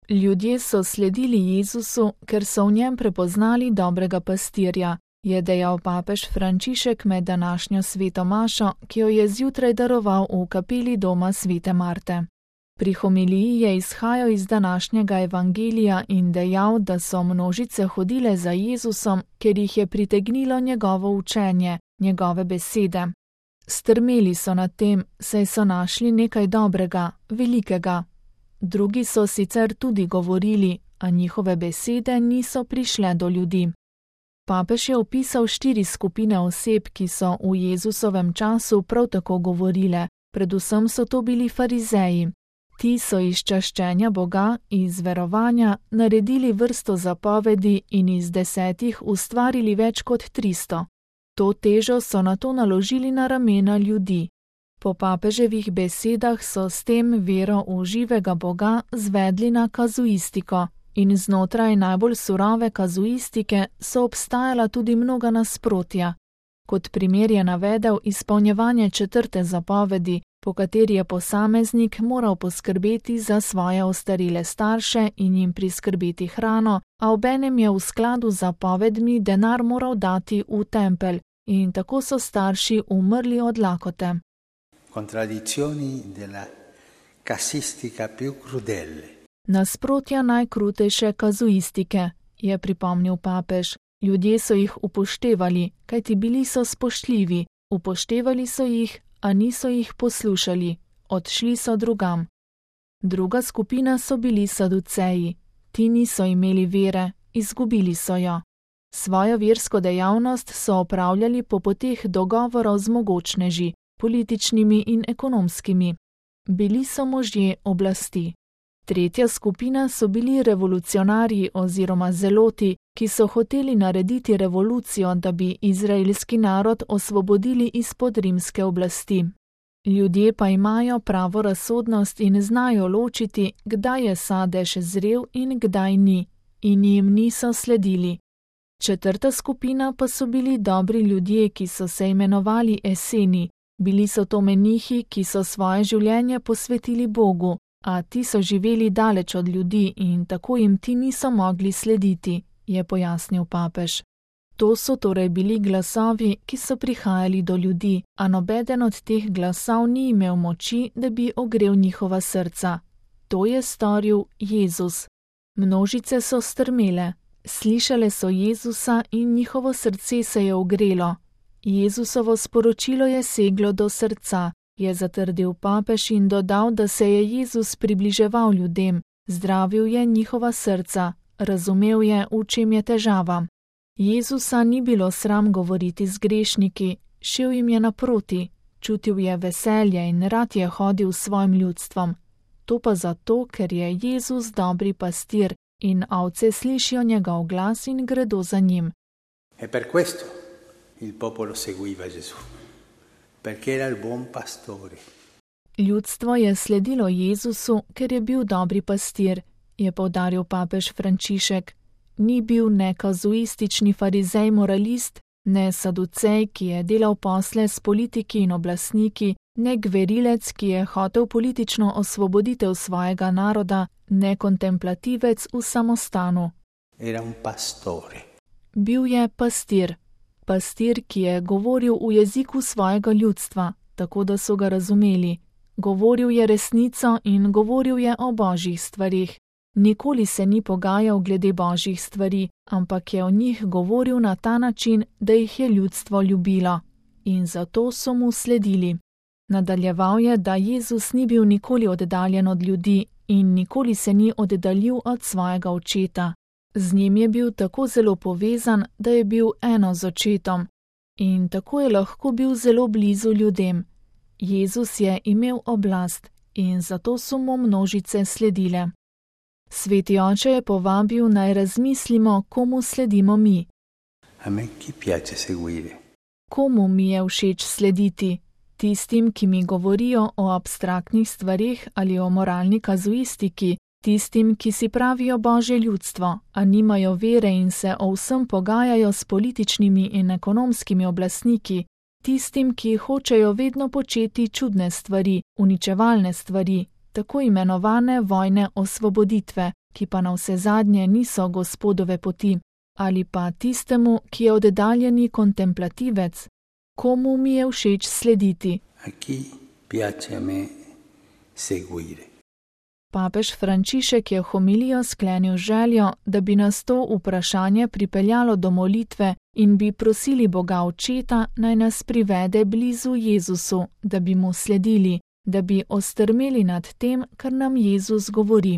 Ljudje so sledili Jezusu, ker so v njem prepoznali dobrega pastirja, je dejal papež Frančišek med današnjo sveto mašo, ki jo je zjutraj daroval v kapeli doma svete Marte. Pri homiliji je izhajal iz današnjega evangelija in dejal, da so množice hodile za Jezusom, ker jih je pritegnilo njegovo učenje, njegove besede. Strmeli so nad tem, saj so našli nekaj dobrega, velikega. Drugi so sicer tudi govorili, a njihove besede niso prišle do ljudi. Papež je opisal 4 skupine oseb, ki so v Jezusovem času prav tako govorile, predvsem so to bili farizeji. Ti so iz čaščenja Boga, iz verovanja, naredili vrsto zapovedi in iz 10 ustvarili več kot 300. To težo so nato naložili na ramena ljudi. Po papeževih besedah so s tem vero v živega Boga zvedli na kazuistiko in znotraj najbolj surove kazuistike so obstajala tudi mnoga nasprotja. Kot primer je navedel izpolnjevanje 4. zapovedi, po kateri je posameznik moral poskrbeti za svoje ostarele starše in jim priskrbeti hrano, a obenem je v skladu z zapovedmi denar moral dati v tempelj in tako so starši umrli od lakote. Contraddizioni della casistica più crudele. Nasprotja najkrutejše kazuistike, je pripomnil papež. Ljudje so jih upoštevali, kajti bili so spoštljivi, upoštevali so jih, a niso jih poslušali, odšli so drugam. Druga skupina so bili saduceji. Ti niso imeli vere, izgubili so jo. Svojo versko dejavnost so opravljali po poteh dogovorov z mogočneži, političnimi in ekonomskimi. Bili so možje oblasti. Tretja skupina so bili revolucionarji oziroma zeloti, ki so hoteli narediti revolucijo, da bi izraelski narod osvobodili izpod rimske oblasti. Ljudje pa imajo pravo razsodnost in znajo ločiti, kdaj je sadež zrel in kdaj ni, in jim niso sledili. Četrta skupina pa so bili dobri ljudje, ki so se imenovali eseni. Bili so to menihi, ki so svoje življenje posvetili Bogu, a ti so živeli daleč od ljudi in tako jim ti niso mogli slediti, je pojasnil papež. To so torej bili glasovi, ki so prihajali do ljudi, a nobeden od teh glasov ni imel moči, da bi ogrel njihova srca. To je storil Jezus. Množice so strmele, slišale so Jezusa in njihovo srce se je ogrelo. Jezusovo sporočilo je seglo do srca, je zatrdil papež in dodal, da se je Jezus približeval ljudem, zdravil je njihova srca, razumel je, v čem je težava. Jezusa ni bilo sram govoriti z grešniki, šel jim je naproti, čutil je veselje in rad je hodil s svojim ljudstvom. To pa zato, ker je Jezus dobri pastir in ovce slišijo njegov glas in gredo za njim. E per questo il popolo seguiva Gesù, perché era il buon pastore. Ljudstvo je sledilo Jezusu, ker je bil dobri pastir, je poudaril papež Frančišek. Ni bil ne kazuistični farizej moralist, ne saducej, ki je delal posle s politiki in oblastniki, ne gverilec, ki je hotel politično osvoboditev svojega naroda, ne kontemplativec v samostanu. Era un pastore. Bil je pastir. Pastir, ki je govoril v jeziku svojega ljudstva, tako da so ga razumeli. Govoril je resnico in govoril je o božjih stvarih. Nikoli se ni pogajal glede božjih stvari, ampak je o njih govoril na ta način, da jih je ljudstvo ljubilo. In zato so mu sledili. Nadaljeval je, da Jezus ni bil nikoli oddaljen od ljudi in nikoli se ni oddaljil od svojega očeta. Z njim je bil tako zelo povezan, da je bil eno z očetom. In tako je lahko bil zelo blizu ljudem. Jezus je imel oblast in zato so mu množice sledile. Sveti oče je povabil, naj razmislimo, komu sledimo mi. A me chi piace seguire? Komu mi je všeč slediti? Tistim, ki mi govorijo o abstraktnih stvarih ali o moralni kazuistiki, tistim, ki si pravijo božje ljudstvo, a nimajo vere in se o vsem pogajajo s političnimi in ekonomskimi oblastniki, tistim, ki hočejo vedno početi čudne stvari, uničevalne stvari, tako imenovane vojne osvoboditve, ki pa na vse zadnje niso Gospodove poti, ali pa tistemu, ki je oddaljeni kontemplativec, komu mi je všeč slediti. A chi piace a me seguire. Papež Frančišek je homilijo sklenil željo, da bi nas to vprašanje pripeljalo do molitve in bi prosili Boga Očeta, naj nas privede blizu Jezusu, da bi mu sledili, da bi ostrmeli nad tem, kar nam Jezus govori.